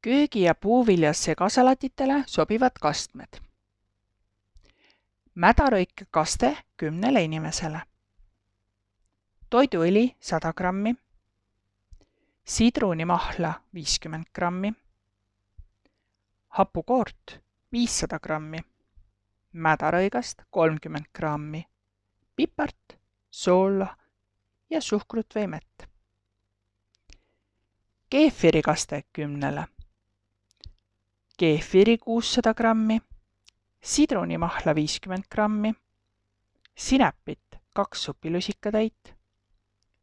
Köögi- ja puuviljas segasalatitele sobivad kastmed. Mädarõike kaste 10 inimesele. Toiduõli 100 grammi. Sidrunimahla 50 grammi. Hapukoort 500 grammi. Mädarõigast 30 grammi. Pipart, soola ja suhkrut või mett. Keefirikaste 10. Keefiri 600 grammi. Sidrunimahla 50 grammi. Sinepit 2 supilusikatäit.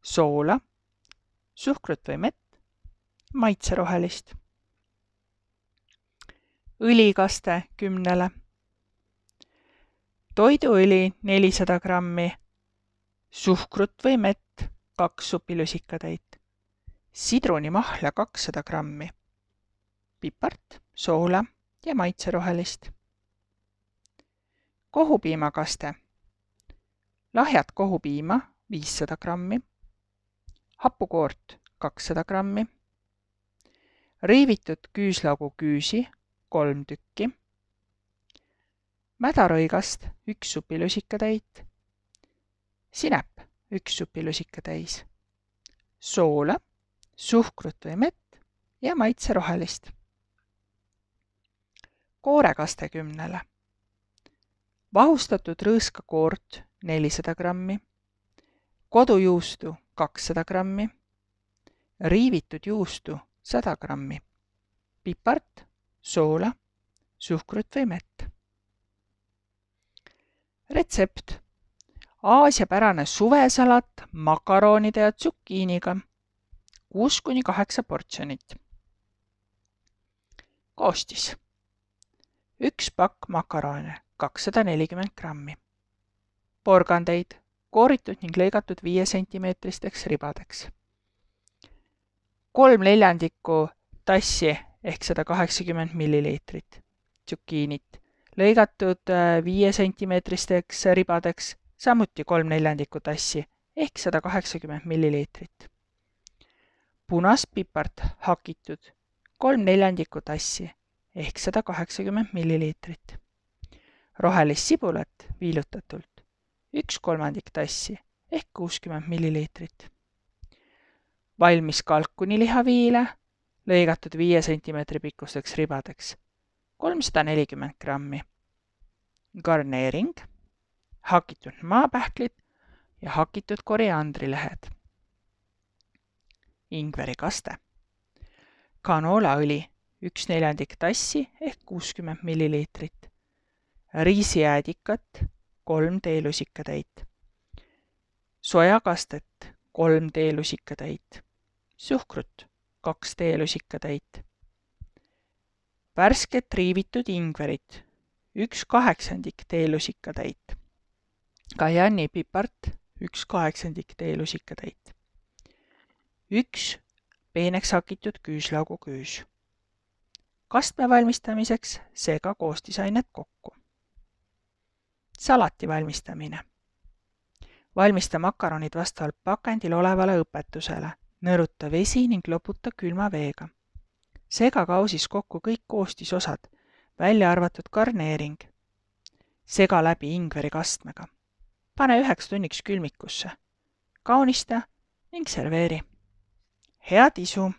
Soola, suhkrut või mett, maitserohelist. Õlikaste 10. Toiduõli 400 grammi. Suhkrut või mett 2 supilusikatäit. Sidrunimahla 200 grammi. Pipart, soola ja maitserohelist. Kohupiimakaste. Lahjat kohupiima 500 grammi. Hapukoort 200 grammi. Riivitud küüslaugu küüsi 3 tükki. Mädarõigast 1 supilusikatäit. Sinep 1 supilusikatäis. Soola, suhkrut või mett ja maitserohelist. Koorekaste 10. Vahustatud rõõskakoort 400 grammi. Kodujuustu 200 grammi. Riivitud juustu 100 grammi. Pipart, soola, suhkrut või mett. Retsept. Aasiapärane suvesalat makaronide ja tsukiiniga 6–8 portsjonit. Koostis. 1 pakk makarone 240 grammi. Porgandeid kooritud ning lõigatud 5 cm ribadeks. 3/4 tassi ehk 180 ml tsukiinit lõigatud 5 cm ribadeks, samuti 3/4 tassi ehk 180 ml. Punast pipart hakitud 3/4 tassi ehk 180 ml. Rohelist sibulat viilutatult 1/3 tassi ehk 60 ml. Valmis kalkunilihaviile lõigatud 5 cm pikkusteks ribadeks 340 grammi. Garneering, hakitud maapähklid ja hakitud koriandrilehed. Ingverikaste. Kanoolaõli 1/4 tassi ehk 60 ml. Riisijäädikat 3 teelusikatäit. Sojakastet 3 teelusikatäit. Suhkrut 2 teelusikatäit. Värsket riivitud ingverit 1/8 teelusikatäit. Kajanni pipart 1/8 teelusikatäit. 1 peeneks hakitud küüslaugu küüs. Kastme valmistamiseks sega koostisainet kokku. Salati valmistamine. Valmista makaronid vastavalt pakendil olevale õpetusele. Nõruta vesi ning loputa külma veega. Sega kausis kokku kõik koostisosad, välja arvatud garneering. Sega läbi ingveri kastmega. Pane 1 tunniks külmikusse. Kaunista ning serveeri. Head isu!